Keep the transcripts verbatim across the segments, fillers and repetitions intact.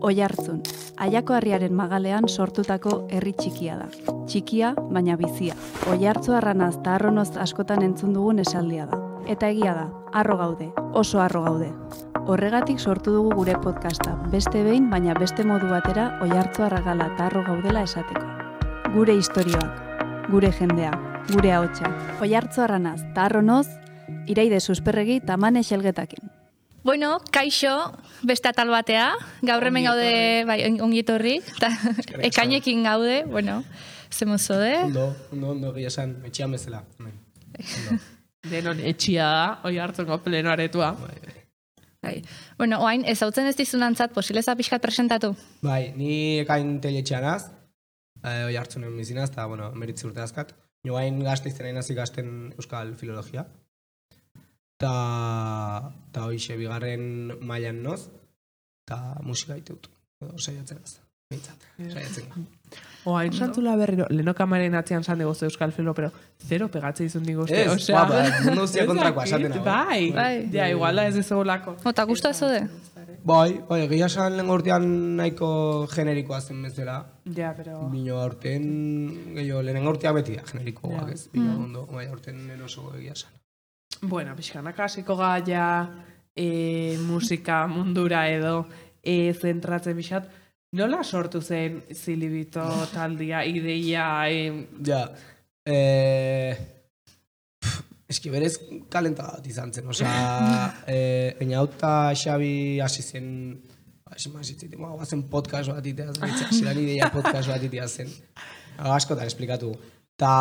Oiartzun, Aiako Harriaren magalean sortutako herri txikia da. Txikia, baina bizia. Oiartzu arranaz eta arronoz askotan entzun dugun esaldia da. Eta egia da, harro gaude, oso harro gaude. Horregatik sortu dugu gure podcasta, beste behin, baina beste modu batera Oiartzu arragala eta harro gaudela esateko. Gure istorioak, gure jendea, gure ahotsa. Oiartzu arranaz eta arronoz, Iraide Susperregi eta Mane Xelgetakin. Bueno, kaixo, beste atal batea, gaur hemen gaude, bai, ongi etorri, eta ekainekin gaude, bueno, zemozo de? Ondo, ondo, ondo, gila esan, etxian bezala. Denon etxia da, Oiartzungo pleno aretua. Bai. Bueno, oain, ez hautzen ez dizunantzat, posileza pixkat presentatu? Bai, ni ekain teletxean az, eh, Oiartzunen bizinaz, eta, bueno, meritzi urte azkat. Ni oain gazte izten nahi nazi gazten euskal filologia. Ta, ta hoixe bigarren mailan noz, eta musika ditut, saiatzen az, bintzat, saiatzen ga. Oain santula berriro, leheno kamaren atzean zan degozu euskal filo, pero zero pegatze izun diguzte. Ez, osea, ba, mundu guztia kontrakoa esaten hau. Bai, Bai. ja, iguala ez ez egolako. Ota gustu azo de? Bai, bai, egia esan lehen urtean nahiko generikoa zen bezala. Ja, pero... Bino aurten, gehiago, lehen urteak beti da generikoak ez, bino ondo, bai, aurten lehen oso egia esan. Bueno, pixkanak hasiko gaia e, musika mundura edo e, zentratzen pixat. Nola sortu zen Zilibito taldia, ideia? E... Ja, eh... eski berez kalenta bat izan zen, oza, eh, Eñauta Xabi hasi zen, hasi mazitzen, guazen podcast bat itea zen, zelan ideia podcast bat itea zen, askotan esplikatu. Ta...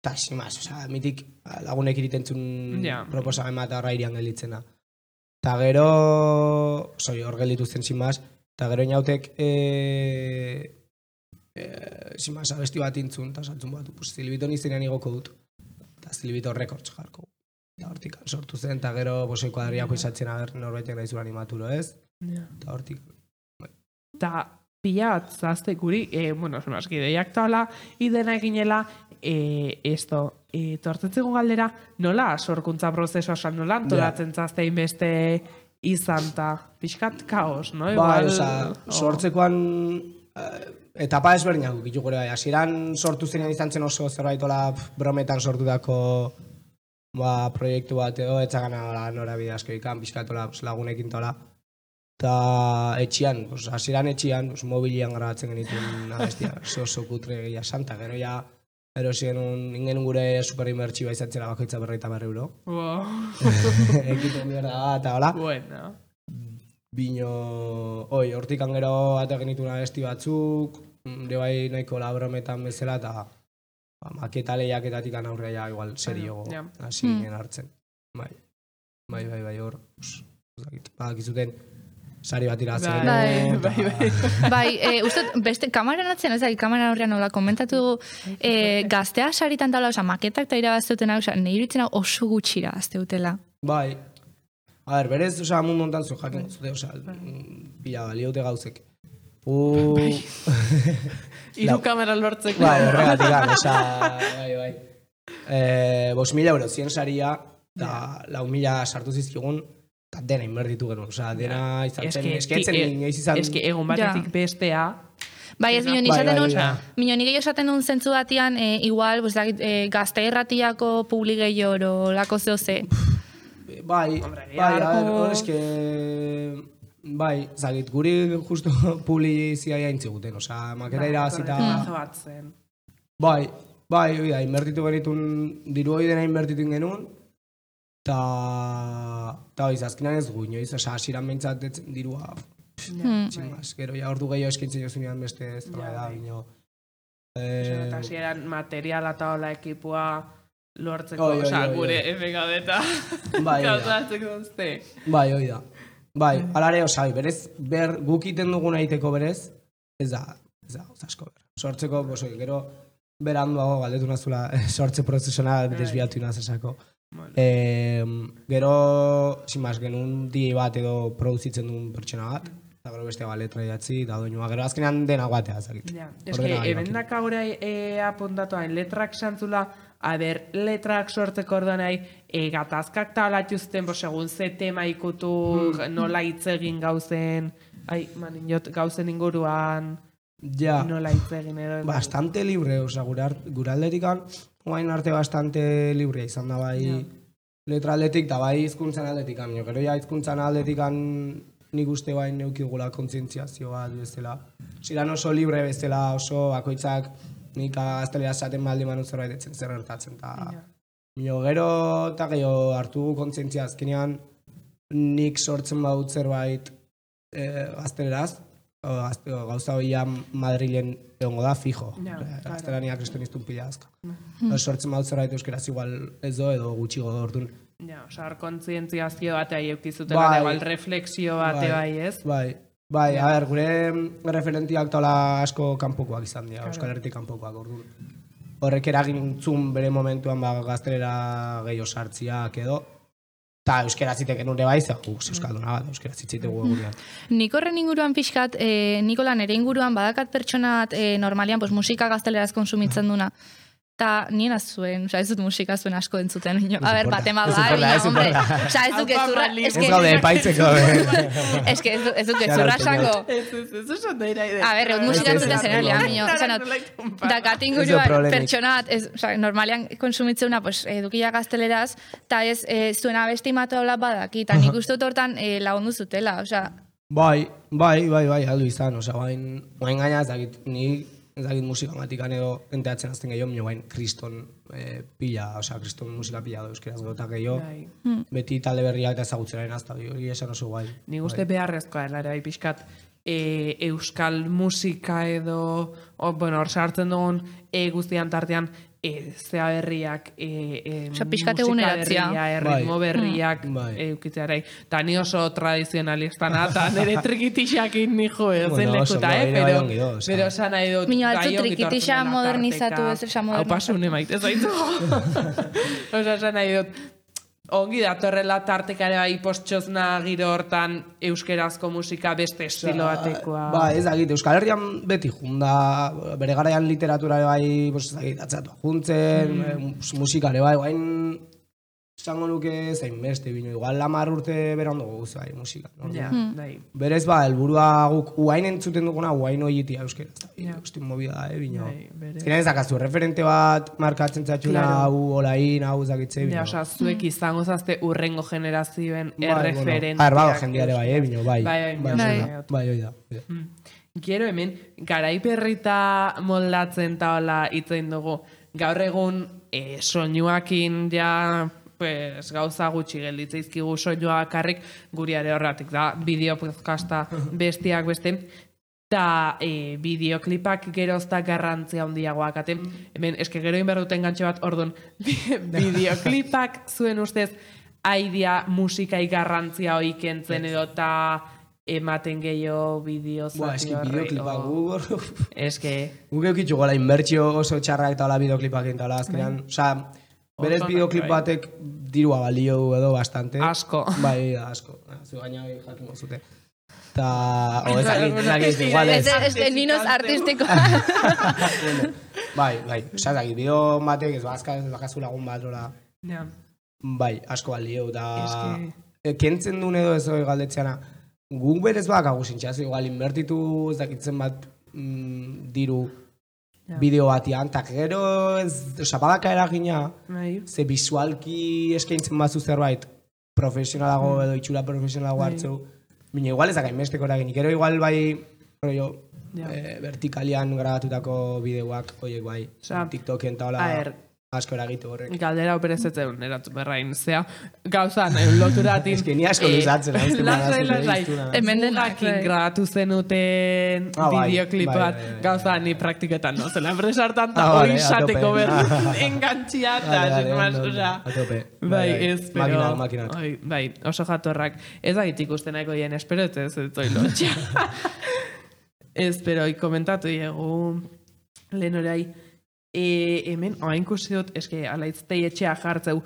Ta, simaz, oza, mitik lagunek iritentzun yeah. proposamen bat horra irian gelditzena. Ta gero, soi, hor gelditu zen, simaz, ta gero inautek, e, e, simaz, abesti bat intzun, ta saltzun bat, pues, Zilibito nizenean igoko dut, ta Zilibito rekords jarko. Ta hortik sortu zen, ta gero, bosoi kuadriako izatzen ager norbaitek nahi zuen animatulo, ez? Yeah. Ta hortik. Ta pila bat zazte guri, e, bueno, sonaski ideiak tala, idena eginela, e, esto, e, tortetzeko galdera, nola sorkuntza prozesua esan nola, antolatzen yeah. zaztein beste izan ta, pixkat kaos, no? Bai, Igual, oza, sortzekoan eh, etapa ezberdinak gitu gure bai. Hasieran sortu zenean izan zen oso zerbaitola brometan sortutako ba, proiektu bat edo, etzagana norabide asko ikan, pixkatola lagunekin tola. Eta etxian, hasieran etxian, mobilian grabatzen genituen abestia, oso oso kutre gehiago santa, gero ja, erosi genuen, ingen gure superinbertsioa izatzera bakoitza berreita berri euro. Wow. Ekiten mierda bat, eta hola. Bueno. Bino, oi, hortik gero ate genituen abesti batzuk, de bai nahiko labrometan bezala, eta ba, maketa lehiaketatik aurrea ja, igual, seriogo, yeah. hasi ginen hartzen. Bai, bai, bai, bai, hor, badakizuten, sari bat iratzen. Bai, bai, bai. Bai, e, uste, beste, kamaran atzen, ez da, kamara horrean nola, komentatu e, gaztea saritan tala, oza, maketak eta irabazteutena, oza, nahi iritzen oso gutxira azteutela. Bai. A ber, berez, oza, mundu ontan zu jakin zute, oza, pila, baliote gauzek. U... Iru kamera lortzeko. Bai, horregatik, oza, bai, bai. Eh, bos mila euro, zien saria, eta lau mila sartu zizkigun, eta dena inbertitu genuen, oza, dena izan zen, esketzen inoiz izan... Eski, egun batetik bestea... Bai, ez minoni izaten nun, minoni gehiago esaten nun zentzu batian, e, igual, pues, e, gazte erratiako publi gehiago, lako zehoze. Bai, bai, a ver, hor eske... Bai, zagit, guri justo publizia jaintziguten, oza, maketa irabazita... Bai, bai, oida, inbertitu genitun, diru hori dena inbertitu genuen, eta, eta hori, azkenan ez gu, inoiz, oza, asiran behintzat dirua, tximaz, gero ja ordu gehiago eskintzen jozunean beste ez da, bino. Eta asieran materiala eta hola ekipua lortzeko, oza, gure efekadeta gauzatzeko duzte. Bai, hori da. Bai, alare, oza, berez, ber, guk iten dugun egiteko berez, ez da, ez da, asko ber. Sortzeko, bosoi, gero, beranduago galdetu nazula, sortze prozesona desbiatu inazesako. Eh, gero, sin más, genuen D J bat edo produzitzen duen pertsona bat, eta gero beste ba, letra idatzi, eta doinua, gero azkenean dena guatea, zakit. Ja, eske, ebendak agora e, apuntatuain, letrak santzula, a ber, letrak sortzeko orduan nahi, e, gatazkak talatuzten, bo, segun ze tema ikutu, nola hitz egin gauzen, ai, maninot, gauzen inguruan Ja, nola hitz egin edo. bastante libre, oza, gure, gure aldetikan, guain arte bastante libre izan da bai Ja. letra aldetik, da bai hizkuntzan aldetikan, jo, gero ja hizkuntzan aldetikan nik uste bain neukigula kontzientziazio bat bezala. Ziran oso libre bezala, oso bakoitzak nik gaztelera esaten baldi manu zerbait etzen zer gertatzen, eta jo, gero eta gehiago hartu kontzientzia azkenean nik sortzen badut zerbait e, gazteleraz, o, gazte, o, gauza hoia Madrilen egongo da, fijo. Ja, Gaztelania kristonistun pila azka. Mm. Sortzen badut zerbait euskeraz igual ez do edo gutxigo do orduan. Ja, osar, kontzientziazio batea eukizutela, Bai. igual refleksio bate bai, ez? Bai, bai, a ber, gure referentiak tola asko kanpokoak izan dira, Euskal Herritik kanpokoak orduan. Horrek eragin zun bere momentuan ba, gaztelera gehiago sartziak edo, eta euskera ziteken nure bai, ze guz euskalduna bat, euskera zitzitegu egunean. Nik horren inguruan pixkat, e, Nikola nere inguruan badakat pertsonat e, normalian pues, musika gazteleraz konsumitzen duna. Ta nien azuen, oza, ez dut musika zuen asko entzuten. Ino. A ber, batema ez bai, importa, ez hombre. importa. Oza, ez dut gezurra. Ez gaude epaitzeko, Ez que ez dut- ez dut gezurra esango. Ez, ez, ez, oso neira idea. A ber, eut musika Ez, ez, entzuten ez, zenean, ez, miño. ez, Oza, not, ez, dakat Ez inguruan du problemik. pertsonat, ez, oza, normalian konsumitzeuna, pues, edukia gazteleraz, eta ez, e, zuen abesti matola badaki, eta nik uste dut hortan e, lagundu zutela, oza, Bai, bai, bai, bai, aldu izan, osea, bain, bain gaina ez dakit, ni ez dakit musika matikan edo enteatzen azten gehiago, mino bain kriston eh, pila, osea, kriston musika pila do euskeraz gota gehiago, Bai. beti talde berriak eta ezagutzeraren azta, hori esan oso guai. Ni uste beharrezkoa dela ere, bai, pixkat, e, euskal musika edo, o, bueno, hor sartzen dugun e, guztian tartean, e, zea berriak, e, e, Osea, pixkat musika eguneratzea. berria, erritmo Bai. berriak Bai. e, eukitzearai. Ta ni oso tradizionalistana, eta nire trikitixakin nijo ezen Bueno, oso, lekuta, eh? bai, bai, Pero, ongi do, osea. pero esan nahi dut, Miño, altzu gai ongi trikitixa tortzen dela modernizatu, tarteka. ez, osea, Hau modernizatu. pasune maite zaitu. Osa, esan nahi dut, ongi datorrela tartekare bai postxozna giro hortan euskerazko musika beste estilo batekoa. Ba, ez dakit, Euskal Herrian beti junda, bere garaian literatura ere bai, pues, ez dakit, atzatu juntzen, mm. musikare bai, guain, esango nuke zain beste, bino, igual lamar urte bera ondo guz bai, musika. No? Ja, bai. Berez ba, helburua guk uain entzuten duguna, uain oitia euskera. Ja. Hosti movida da, eh, bino. Bai, bere. Zinen ez dakazu, referente bat markatzen zatxuna, Claro. hau, olain, hau, zakitze, bino. Ja, osa, zuek izango zazte urrengo generazioen Bai, bueno. erreferentiak. A ber, bado jendeare bai, eh, bino, bai. Bai, bai, bai, bai. hori da, bai, hori da. hori da. Gero hemen, garaiperrita moldatzen eta hola itzein dugu. Gaur egun, e, soinuakin ja, pues, gauza gutxi gelditzeizkigu soinua bakarrik guriare horratik da, bideo podcasta bestiak beste, eta e, bideoklipak gerozta garrantzia handiagoak aten. Hemen, eske gero inberduten gantxe bat, orduan, bideoklipak zuen ustez, aidia musikai garrantzia hoi kentzen edo eta ematen gehiago bideo Buah, eski bideoklipak gu, Eske, guk eukitxu gola inbertsio oso txarrak eta hola bideoklipak eta hola azkenean, oza, berez Oso bideoklip onak, bai. batek dirua balio du edo bastante. Asko. Bai, da, asko. Zu gaina jakin zute. Ta, o ez dakit, ez dakit, igual ez. Ez, ez, ez, ninos artistiko. Bueno, bai, bai, oza, ez dakit, bideo batek ez bazka, ez bakazu lagun bat, hola, ja. bai, asko balio, da, Eske- e, kentzen duen edo ez hori galdetzeana, guk berez bakagu zintxazu, igual inbertitu, ez dakitzen bat, mm, diru, Ja. bideo batian, eta gero ez, oza, badaka eragina, Bai. ze visualki eskaintzen bazu zerbait, profesionalago edo itxura profesionalago Bai. hartzeu, bine, igual ez dakain besteko eraginik, gero igual bai, rollo, Ja. eh, vertikalian grabatutako bideoak, oiek bai, Osea, TikToken eta hola, a ber, asko eragitu horrek. Galdera operezetzen erantzun berrain, zea, gauzan, eh, loturatin. Ez que ni asko luzatzen, hau zen Lasai, badazule, lasai. iztuna. Hemen denak, Mugakin bai. grabatu zenuten Ah, bai, bideoklip bai, bat, bai, bai, gauza ni praktiketan no, zela enpresartan Ah, eta vale, hori a sateko tope. berri engantxia eta Vale, vale, sin más, ondo, ondo, osea, a tope. bai, ez, pero, Makinak, makinak. Oi, bai, oso jatorrak, ez da ikusten nahiko dien, espero ez ez ez lotxa. Ez, pero, komentatu diegu, lehen orai, e, hemen, oain kusi dut, eske, alaitztei etxea jartzeu,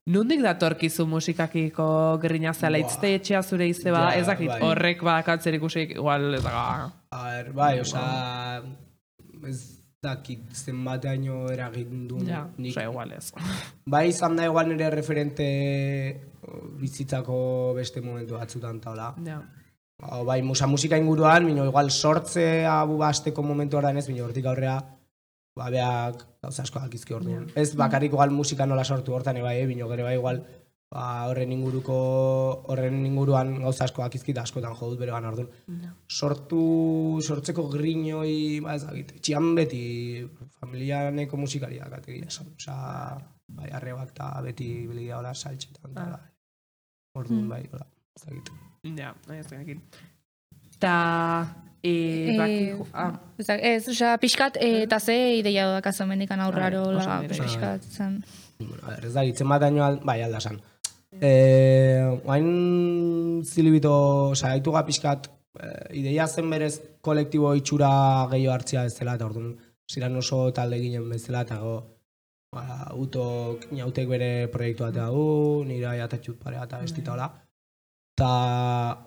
nondik datorkizu musikakiko grina ze alaitztei etxea zure ize bada, Ja, ez dakit, bai. horrek badakatzer ikusik, igual, ez daga, A ber, bai, oza, ez dakit zenbateaino eragin du ja, nik. oza, igual ez. Bai, izan da igual nire referente bizitzako beste momentu batzutan eta hola. Ja, Ba, bai, musa musika inguruan, bino igual sortzea basteko momentu horrean ez, bino hortik aurrea, ba, beak gauza asko dakizki orduan. Ez bakarrik igual musika nola sortu hortan bai, eh, bino gero bai igual, ba, horren inguruko, horren inguruan gauza asko dakizki eta askotan jodut bere gana orduan. Sortu, sortzeko grinoi, ba ez dakit, txian beti familianeko musikariak ategia esan. Osa, bai, arrebak eta beti biligia hola saltxetan. Ah. Orduan, bai, hola, ez dakit. Ja, ez dakit. Ta, e, baki, ah. Ez, osea, pixkat, eta ze ideia dakazo mendikan aurraro, la, pixkat, zen. Bueno, ez da, itzen bat daño, bai, aldasan. Eh, oain zilibito, oza, haituga pixkat, ideia zen berez kolektibo itxura gehiago hartzia ez dela, eta orduan, ziren oso talde ginen bezala, eta go, ba, utok, nautek bere proiektu batea du, nire atatxut parea eta bestita hola. Eta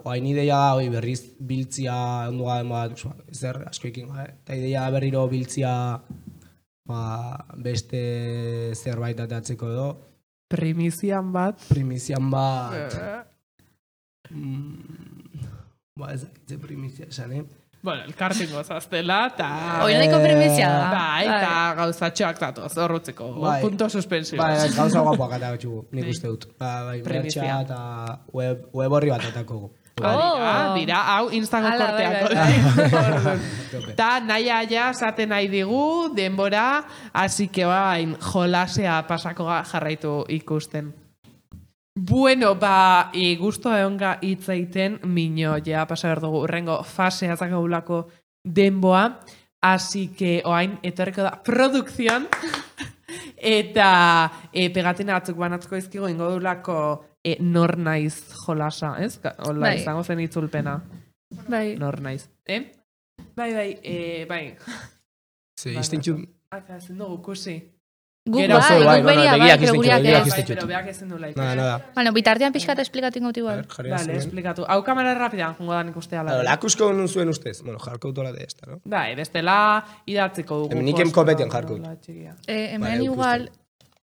oain ideia hoi berriz biltzia ondu gaden bat, ezer asko ikin gabe. Eta ideia berriro biltzia ba, beste zerbait atatzeko edo. Primizian bat. Primizian bat. mm, ba ez dakitze primizia esan, eh? Bueno, elkartengo zaztela, eta... Hoi nahiko primizia da. Bai, eta gauzatxoak datoz, horrutzeko. Bai. Punto suspensio. Bai, gauza guapoak eta gotxugu, nik uste dut. Ba, bai, Primizia. mertxa eta web, web horri bat atako gu. Ah, dira, hau Instagram Ala, bai, korteako. Ta nahi aia zaten nahi digu, denbora, hasi que bain jolasea pasako jarraitu ikusten. Bueno, ba, e, guztua egonga hitz egiten, mino, ja, pasa behar dugu, urrengo fasea zakagulako denboa, hasi que oain, etorreko da, produkzion, eta e, pegatina batzuk banatuko izkigu, ingo dulako e, nor naiz jolasa, ez? Hola, Bai. izango zen itzulpena, Bai. nor naiz, eh? Bai, bai, e, bai. Ze, iztentxu... Aka, ezin dugu, kusi. Guk Gero, bai, bai, guk bueno, beria, bai, begiak pero iztentxu, guriak begiak ez. Bai, iztentxu. pero beak ezin du laik. Nada, nada. Bueno, bitartean pixkat esplikatu ingotu igual. Jarri Vale, azken. esplikatu. Hau kamera rapidan, jongo da nik uste ala. Claro, lakusko nun zuen ustez. Bueno, jarko utola de esta, no? Bai, bestela idatziko dugu. Hemen nik kopeten jarko dut. Hola, txikia. Eh, hemen Bai, igual...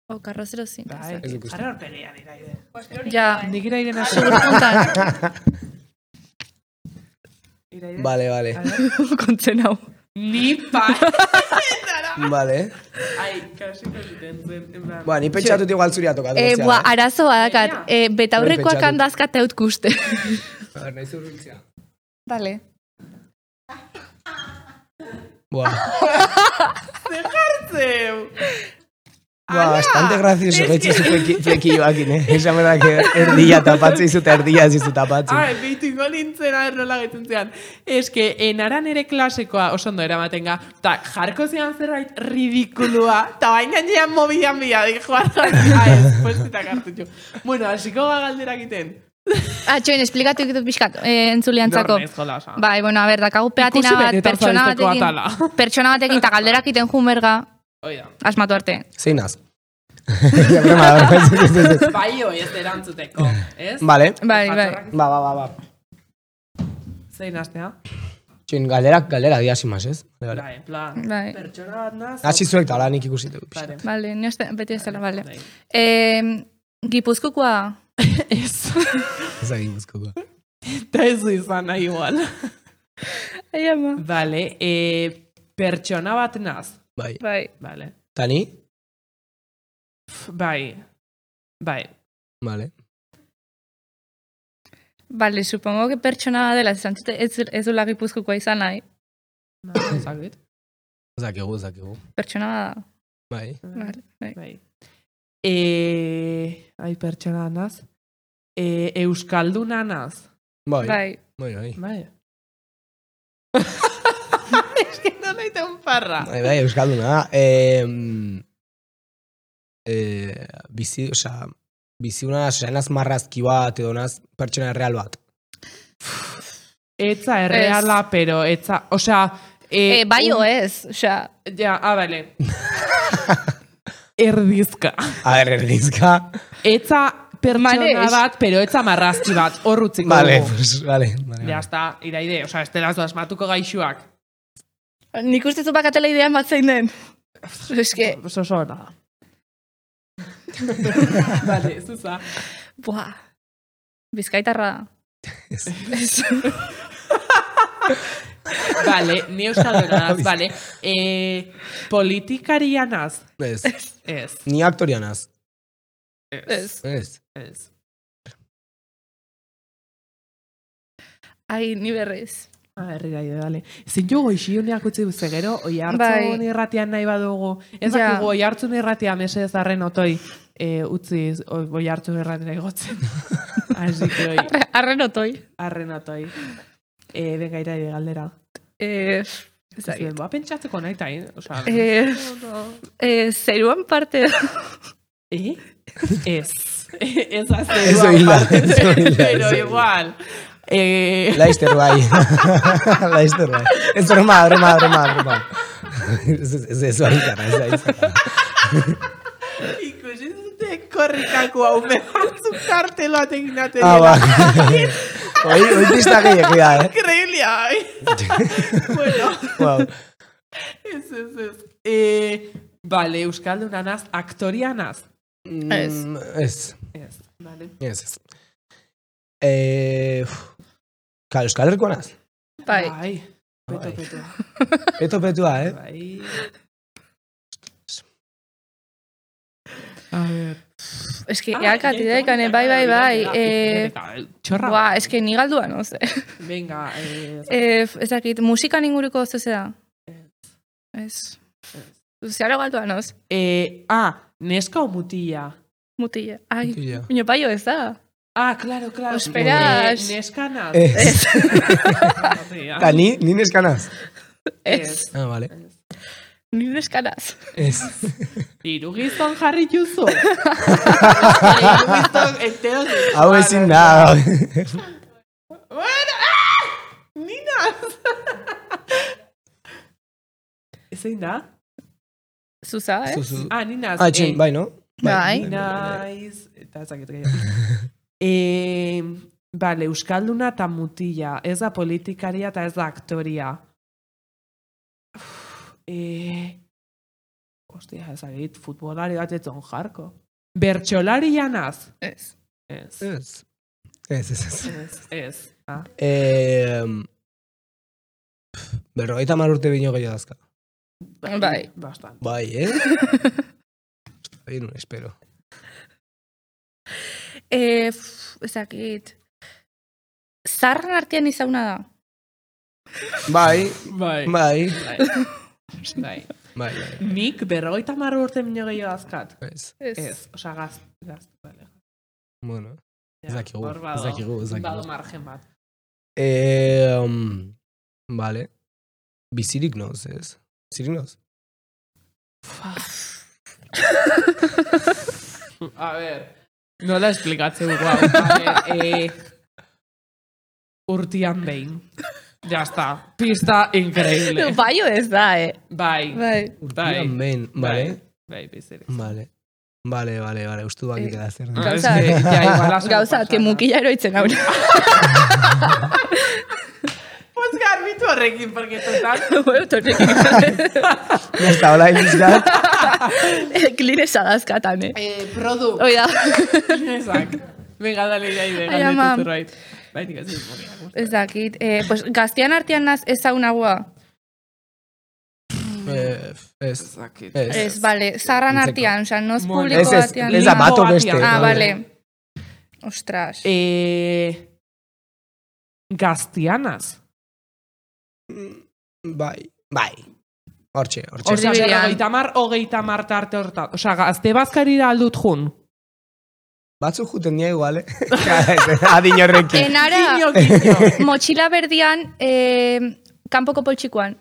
O, carrozero zin. Bai, Ez duk uste. jarra horpegian iraide. Ja, Nik iraiden hasi. segur puntan. Iraide. Vale, vale. Kontzen hau. Ni pa. Vale. Ai, kasiko ziten zen. en plan. Ba, ni pentsatut igual zuria tokatu. Eh, bua, arazo badakat. Eh, betaurrekoak Pentsatu. handazkat eut kuste. A ver, nahi zurbiltzea. Vale. Buah. Zeu. Buah, bastante gracioso gaitzi zu flekioakin, eh? Esan berda que erdia tapatze izut, erdia zizu tapatze. Ai, behitu ingo nintzen errola gaitzen zean. Ez que, enaran ere klasekoa oso ondo eramaten ga, eta jarko zean zerbait ridikulua, eta bain gainean mobilan bila, dik joan jarri. Ai, ez, puestitak hartu jo. Bueno, hasiko ga galdera egiten. Ah, txoin, esplikatu ikitut pixkat, eh, entzuliantzako. Nor naiz jolasa. Bai, bueno, a ber, dakagu pegatina Ikusi bat, benetan pertsona zaizteko batekin, atala. pertsona batekin, eta galderak iten jumerga, Oida. asmatu arte. Zeinaz. Broma, broma, ez, ez, ez, ez. Bai, oi, ez erantzuteko, ez? Vale. Bai, bai. Ba, ba, ba, ba. Zein astea? Txin, galderak, galdera diasimaz, ez? Vale, vale. Bai, en plan, Bai. pertsona bat naz. Hasi zuek tala nik ikusitu. Vale. Vale, ni oste, beti ez dela, vale. Bai. Eh, Gipuzkokoa, Ez. Ez egin guzkoko. Eta ez du izan nahi igual. ai ama. Vale, e, pertsona bat naz. Bai. Bai. Vale. Tani? Pff, Bai. Bai. Vale. Vale, supongo que pertsona dela, zantzute ez, ez dula Gipuzkokoa izan nahi. Zakit. Zakigu, zakigu. Pertsona da. Bai. Vale, bai. Bai. E, ai, pertsona naz. E, Euskalduna naz. Bai. Bai. Bai, bai. Bai. Es que no leite un parra. Bai, bai, euskalduna da. Eh, eh, bizi, osea, bizi una, osea, enaz marrazki bat edo naz pertsona real bat. Etza erreala, pero etza, osea... E, Eh, bai o un- ez, osea, Ja, ah, vale. Erdizka. A ber, erdizka. Etza pertsona Manex. bat, pero etza marrazki bat, horrutziko Vale, dugu. pues, vale. vale, Ja, vale. está, iraide, osea, ez dela asmatuko gaixuak. nik uste zu bakatela idean bat zein den. Es que, Oso oso ona da. Vale, zuza. buah, bizkaitarra da. Ez. Vale, ni euskalduna naz, vale. Eh, politikarianaz? Ez. Ez. Ni aktorianaz. Ez. Ez. Ez. Ai, ni berriz. Ah, herrira ide, dale. Ezin jo goixiuneak utzi duze gero, oi hartzun Bai. irratian nahi badugu. Ez Ja. dakigu, oi hartzun irratian mesedez arren otoi e, utzi oi hartzun irratian egotzen. Así que oi, Arren otoi. arren otoi. E, venga, iraide galdera. Eh, ez Zuen, dakit. boa pentsatzeko nahi tain. Osa, Eh, eh, zeruan parte da. eh? Ez. Ez da Ez zeruan oila, parte, ez oila, pero ez oila. igual. Eh, Laizter bai. Laizter bai. Ez broma, broma, broma, broma. Ez ez ez bai zara, ez bai zara. ikusi zute korrikako hau mehatzuk karteloa teginaten. Ah, ba. Hoi, hoi pista gehiago da, eh? Increíble, ay. Bueno, Wow. ez, ez, ez. Eh, vale, euskaldunanaz, aktorianaz. Ez. Mm, Ez. Ez, vale. Ez, ez. Eh, uf. Kal, Euskal Herriko naz? Bai. Bai. Peto, Bai. peto. Peto petua, eh? Bai. A ver. Ez que, Ah, eakati ja, daikane, ja, bai, bai, ja, bai. ja, Eh, ja, Txorra. Buah, ez que ni galdua, no sé. Venga, eh, Eh, ez dakit, musikan inguruko zeze da? Ez. Zeharo galdua, noz? eh, ah, neska o mutila? Mutila. Ai, Mutila. baina paio ez da. Ah, claro, claro. Esperas. Eh, neskanaz. Ez. Mutila. Ta, ni, ni neskanaz? Ez. Ah, vale. Ni neskanaz. Ez. Hiru gizon jarri juzu. Hiru gizon entero. Hau ezin da. Bueno, ah! Ninaz! Ezin da? Zuza, eh? Zuzu. Ah, ninaz. Ah, txin, bai, no? Bai. Ninaz. Eta ezakit gehiago. eh, Bale, euskalduna eta mutila. Ez da politikaria eta ez da aktoria. Uf, eh... Ostia, ezagit, futbolari bat etzon jarko. Bertxolari janaz? Ez. Ez. Ez. Ez, ez, ez. Ez. Ez. Ah. Eh, berrogeita hamar urte bino gehiago dazka. Bai. Bastant. Bai, eh? Bai, no, espero. Eh, pff, ez dakit. Zarran artean izauna da. Bai, Bai. bai, Bai. Bai. bai, bai. Nik berrogeita hamar urte bino gehiago dazkat. Ez. Ez. Ez, osea gaz, gaz, vale. Bueno, ez dakigu, hor bado- ez dakigu, ez dakigu. Bado margen bat. Eh, um, vale. Bizirik noz, ez? Bizirik noz? A ver, nola esplikatzeu guau. A ver, eh, urtian behin. Ya está. Pista increíble. Paio ez da, eh? Bai. Bai. Urtian behin, vale? Bai, bizirik. Vale. Vale, vale, vale, ustu baki Eh, queda zer. Ah, es Gauza- que, ja, igual has Gauza, que mukila eroitzen hau. Pues garbitu horrekin, porque total... Bueno, torrekin. Ya está, hola, ilusgat. Kline sadazkatan, eh? Eh, produ. Hoi da. Exact. Venga, dale, ya, ide, Ai, ama. galdetu zerbait. Bai, nik ez dut. Ez dakit. Eh, pues, gaztean artean naz ezaunagoa. Eh, ez, Ezakit. ez. Ez, bale. Zarran Entzeko. artean, oza, noz Bueno. publiko Ez, ez, batean. ez da bato Limbo beste. batean. Ah, vale. bale. Ostras. Eh, Gaztianaz. Bai, bai. Hortxe, hortxe. Hor- Osea, Erdibidean. berrogeita mar, hogeita mar tarte horta. Osea, gazte bazkarira aldut jun. Batzuk juten nia igual, eh? Adin horrekin. Enara, Kinio, kinio. motxila berdian, eh, kanpoko poltsikoan.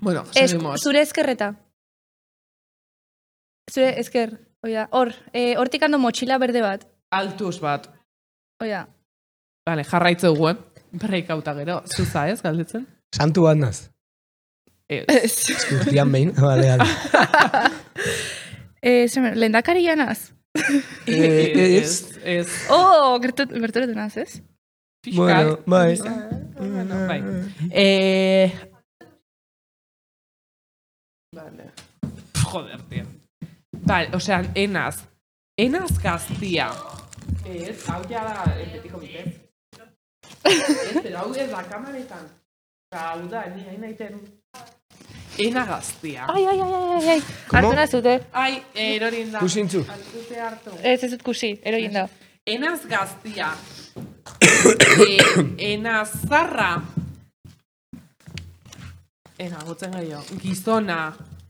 Bueno, Es, seguimos. zure ezkerreta. Zure ezker. Oida, hor, eh, hortik ando motxila berde bat. Altuz bat. Oida. Vale, jarraitzeu guen. Break auta gero. Zuza ez, galdetzen? Santu bat naz. Ez. Ez. Urtian behin, bale, bale. eh, lendakari janaz. Eh, Ez. Ez. Oh, gerturatu naz, ez? Bueno, bai. Bueno, bai. Eh... Vale. Joder, tío. Vale, o sea, enaz. Enaz gaztia. Ez, hau ja da, en betiko bitez. Ez, pero hau ez da kamaretan. Eta hau da, ni hain naiten... Ena gaztia. Ai, ai, ai, ai, ai. Hartu nazute. Ai, erorin da. Kusintzu. Hartute hartu. Ez ez dut kusi, erogin da. Enaz gaztia. e, enaz zarra. Ena, gutzen gaio. Gizona.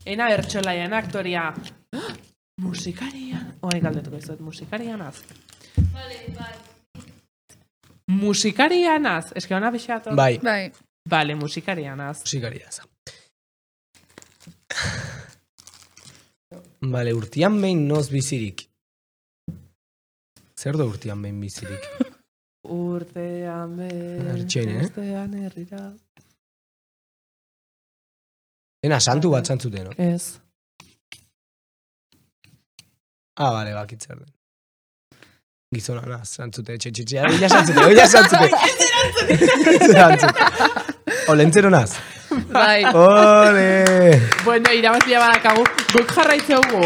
Ena bertxolaia, ena aktoria. Musikaria. Oai, galdetuko izut, musikaria naz. Vale, vale. Musikaria naz. Ez que hona bixatu. Bai. Bai. Vale, musikaria naz. Musikaria za. Bale, urtian behin noz bizirik. Zer da urtian behin bizirik? Urtean behin... Ertxein, eh? Urtean herrira... Ena, santu bat zantzuten, no? Ez. Ah, bale, bakitzer den. Gizona naz, zantzute, etxe, etxe, etxe, oila zantzute, oila zantzute. Zantzute. Olentzero naz. Bai. Ole! Bueno, irabazia badakagu. Guk jarraitzeugu,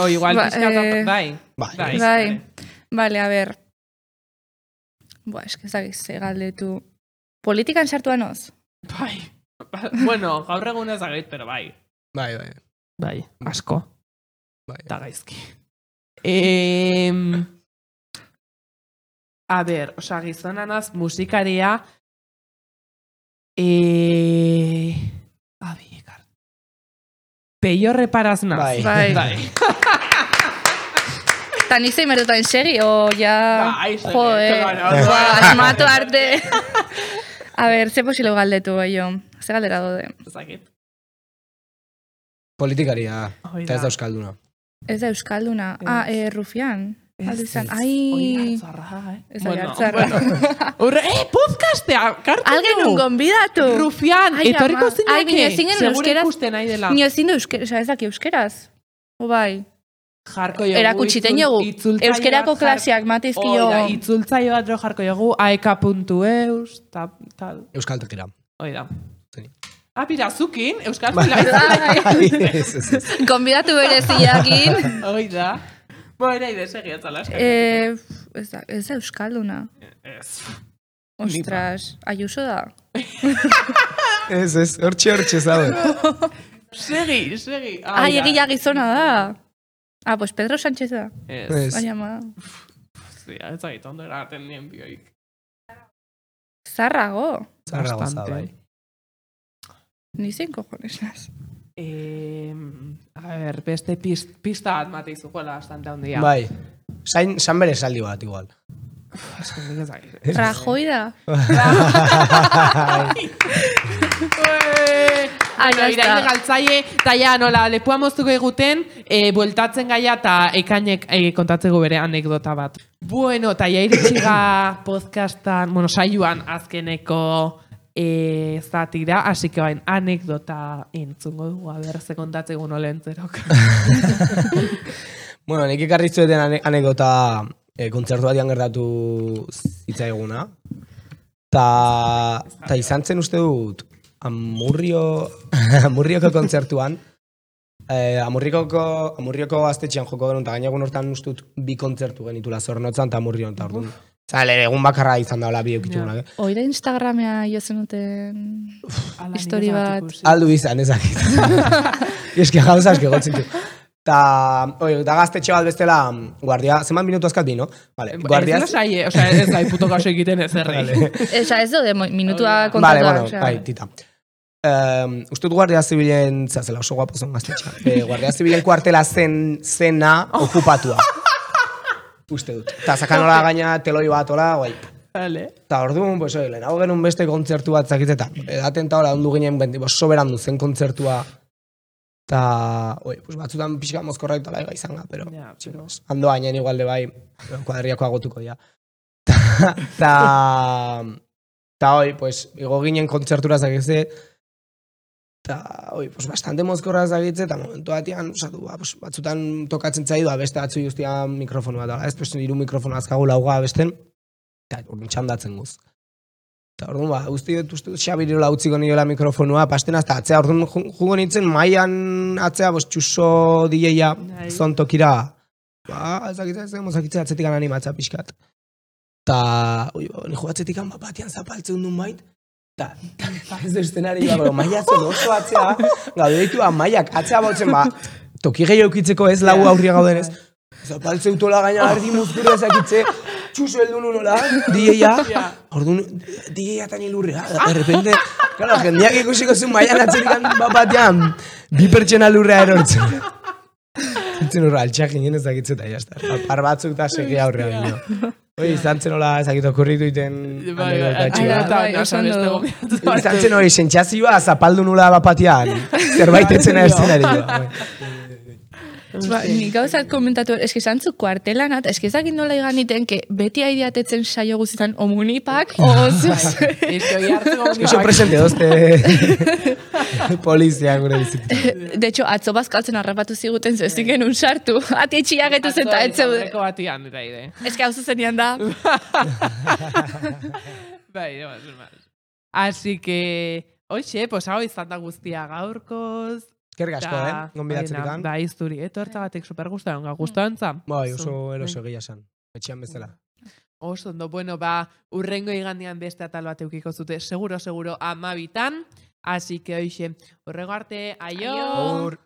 o igual Ba, pixkat... eh, Bai. Bai. Bai. Vale, a ver. Boa, eske zagiz, galdetu. Politikan sartua noz? Bai. Bueno, gaur egun ez agait, pero bai. Bai, bai. Bai, asko. Bai. Eta gaizki. Eh, a ber, oza, gizonanaz musikaria... Eh, abi, ekar. Peio reparaz naz. Bai. Bai. Bai. Ta nik zein merdutan segi, o ja... Bai, segi, Joe, claro. ba, asmatu arte. A ber, ze posilo galdetu, jo. Ze galdera dode. Zakit. Politikaria, Hoi eta ez da. da euskalduna. Ez da euskalduna. Ah, eh, Rufian. Aldu izan. Hoi Ai... hartzarra, eh? Ez da jartzarra. Horre, eh, podcastea, kartu Algen un gonbidatu. Rufian, Ai, etorriko ama. zinake. Ai, bine, zinen Segure euskeraz. ikusten nahi dela. Nio ezin du euskeraz, oza, ez daki euskeraz. O bai. Jarko jogu. Erakutsiten itzul- jogu. itzultzaile Euskerako bat jar- klaseak matizkio. Oida, itzultzaile bat jo jarko jogu, aeka puntu eus, ta, tal. Euskaltekira. Oida. Zeni. Ah, pira, zukin, euskal Bai. Ez, ez, ez. Gonbidatu bereziakin. Oida. Bueno, ide, segi atzala eskak. Eh, ez da, ez da euskalduna. Ez. Ostras, Ayuso da. Ez, ez, hortxe, hortxe, zabe. Segi, segi. Ai, egia gizona da. Ah, pues Pedro Sánchez da. Ez. Ez. Baina ma. Zia, ez zait, ondo eraten nien bioik. Zarrago. Zarra goza, Bastante. bai. Ni zein cojones naz. Eh, a ver, beste pist, pista bat mate izukoela bastante handia. Bai. Sain, san bere esaldi bat, igual. Es que nik ez dakit. Rajoy da. Ah, Bueno, ya iraile está. galtzaile, eta ja, nola, lepua moztuko eguten, e, bueltatzen gaia eta ekainek e, kontatzeko bere anekdota bat. Bueno, eta ja iritsiga podcastan, bueno, saioan azkeneko e, zatira, así que bain, anekdota entzungo dugu, a ber, ze kontatzeko nola entzerok. Bueno, nik ekarri zueten ane anekdota e, kontzertu batian gertatu zitzaiguna. Ta, ta izan zen uste dut, Amurrio, Amurrioko kontzertuan, eh, Amurrioko, Amurrioko gaztetxean joko genuen, eta gainagun hortan uste dut bi kontzertu genitula Zornotzan eta Amurrion, eta orduan. Zale, egun bakarra izan daula bi eukitxugunak, eh? Oida Instagramea jozen duten Ala, histori nik ez bat. dut ikusi. Aldu izan, ezakit. Eske gauza eske gotzen du. Ta, oi, da gaztetxe bat bestela, guardia, zenbat minutu azkat bi, no? Vale, guardia... Ez lasaie, osea, ez da puto kaso egiten ez errei. Vale. Esa, ez dode minutua Vale, kontatu. bueno, bai, tita. Um, Uste dut guardia zibilen, zazela oso guapo zen gaztetxa, eh, guardia zibilen kuartela zen zena okupatua. Uste dut. Ta zakanola gaina teloi bat, ola, guai. Vale. Ta orduan, pues, oi, lehenago genuen beste kontzertu bat zakitzeta. Edaten ta hola, ondu ginen, benti, pues, soberan du zen kontzertua. Ta, oi, pues, batzutan pixka mozkorra eta laiga izan ga, pero, Ja, pero- chicos, ando baina igual de bai, kuadriako agotuko ja. Ta, ta, ta, oi, pues, igo ginen kontzertura zakitze, ta, oi, pues, bastante mozkorra zakitze, eta momentu batian, osatu, ba, pues, batzutan tokatzen zaidu, beste batzu justia mikrofonu bat, ala, ez, pues, hiru mikrofono azkagu lauga besten, eta orduan txandatzen guz. Eta orduan, ba, guzti dut, uste dut, Xabiriola utziko niola mikrofonua, pasten azta atzea, orduan ju- jugo nintzen, maian atzea, bos, txuso D J-a Bai. zontokira, ba, ezakitzea, ez mozakitze atzetik animatza pixkat. Ta, oi, ni jogatzetik han batian zapaltzen duen bait, eta ez du estenari, ba, maiatzen oso atzea, gaude ditu, maiak atzea bautzen, ba, toki gehi eukitzeko ez, lau aurria gauden ez, zapaltzen utola gaina ardi muzkura ezakitze, txuso heldu nunola, D J-a, orduan, D J-a tan ilurrea, de repente, claro, jendeak ikusiko zuen maian atzerik bat batean, bi pertsona lurrea erortzen. Zintzen horra, altxak ginen ezakitzen eta jazta. Par batzuk eta segi aurrea gino. Hoi, izan zen hola ezakit okurritu iten anekdota txiga. Izan zen hori, sentsazioa zapaldu nula bapatian, zerbait etzena eszenari. Ba, ni gauzat komentatu, eski zantzu kuartelanat, eski ezakit nola iganiten, que beti aideatetzen saio guztietan omunipak, ozuz. Eski hartzeko Eski oso presente dozte polizia gure bizitzen. De hecho, atzo bazkaltzen harrapatu ziguten, zezik genuen sartu, ati etxiagetu zen eta etze. Aurreko batian, eta ide. Eski hau zuzenian da. Bai, no, no, no. Así que, oixe, pues hau izan da guztia gaurkoz. Eskerrik asko, eh? Gonbidatzerikan. Da, izturi, etortza batek super gustaron, gustantza. Bai, oso eroso egia esan. Etxean bezala. Oso ondo, bueno, ba, urrengo igandean beste atal bat eukiko zute, seguro, seguro, amabitan. Así que, oixe, urrengo arte, aio! Agur!